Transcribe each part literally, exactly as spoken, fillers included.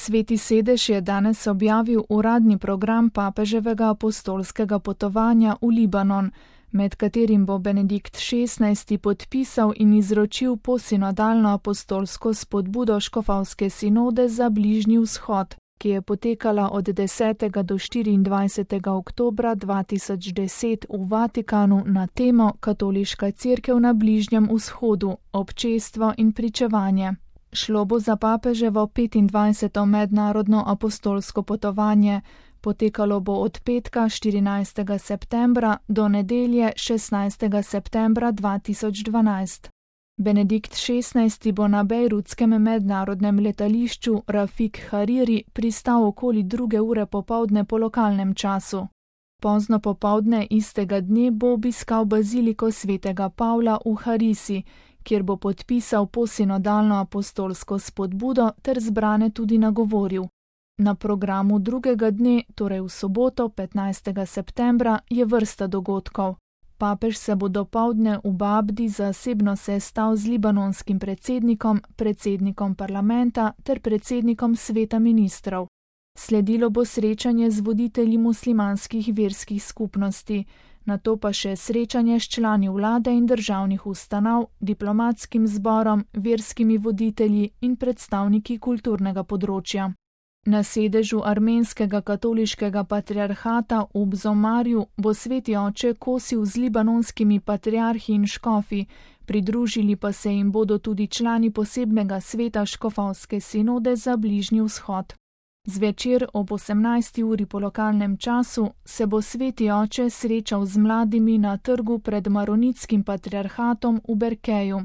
Sveti sedež je danes objavil uradni program papeževega apostolskega potovanja v Libanon, med katerim bo Benedikt šestnajsti podpisal in izročil posinodalno apostolsko spodbudo škofovske sinode za Bližnji vzhod, ki je potekala od desetega do štiriindvajsetega oktobra dva tisoč deset v Vatikanu na temo Katoliška cerkev na Bližnjem vzhodu, občestvo in pričevanje. Šlo bo za papeževo petindvajseto mednarodno apostolsko potovanje, potekalo bo od petka štirinajstega septembra do nedelje šestnajstega septembra dva tisoč dvanajst. Benedikt šestnajsti bo na bejrutskem mednarodnem letališču Rafik Hariri pristal okoli druge ure popovdne po lokalnem času. Pozno popovdne istega dne bo obiskal baziliko svetega Pavla v Harisi, kjer bo podpisal posinodalno apostolsko spodbudo ter zbrane tudi nagovoril. Na programu drugega dne, torej v soboto petnajstega septembra, je vrsta dogodkov. Papež se bo dopoldne v Babdi zasebno sestal z libanonskim predsednikom, predsednikom parlamenta ter predsednikom sveta ministrov. Sledilo bo srečanje z voditelji muslimanskih verskih skupnosti, nato pa še srečanje s člani vlade in državnih ustanov, diplomatskim zborom, verskimi voditelji in predstavniki kulturnega področja. Na sedežu armenskega katoliškega patriarhata v Bzomarju bo sveti oče kosil z libanonskimi patriarhi in škofi, pridružili pa se jim bodo tudi člani posebnega sveta škofovske sinode za Bližnji vzhod. Zvečer ob osemnajsti uri po lokalnem času se bo sveti oče srečal z mladimi na trgu pred maronitskim patriarhatom v Berkeju.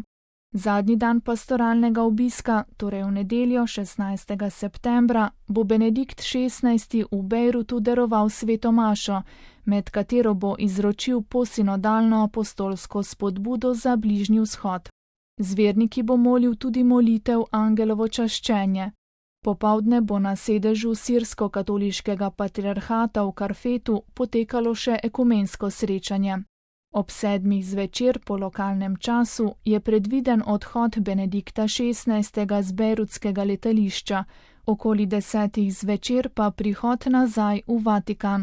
Zadnji dan pastoralnega obiska, torej v nedeljo šestnajstega septembra, bo Benedikt šestnajsti v Bejrutu daroval sveto mašo, med katero bo izročil posinodalno apostolsko spodbudo za Bližnji vzhod. Z verniki bo molil tudi molitev Angelovo čaščenje. Popovdne bo na sedežu sirsko-katoliškega patriarhata v Karfetu potekalo še ekumensko srečanje. Ob sedmih zvečer po lokalnem času je predviden odhod Benedikta šestnajstega z bejrutskega letališča, okoli desetih zvečer pa prihod nazaj v Vatikan.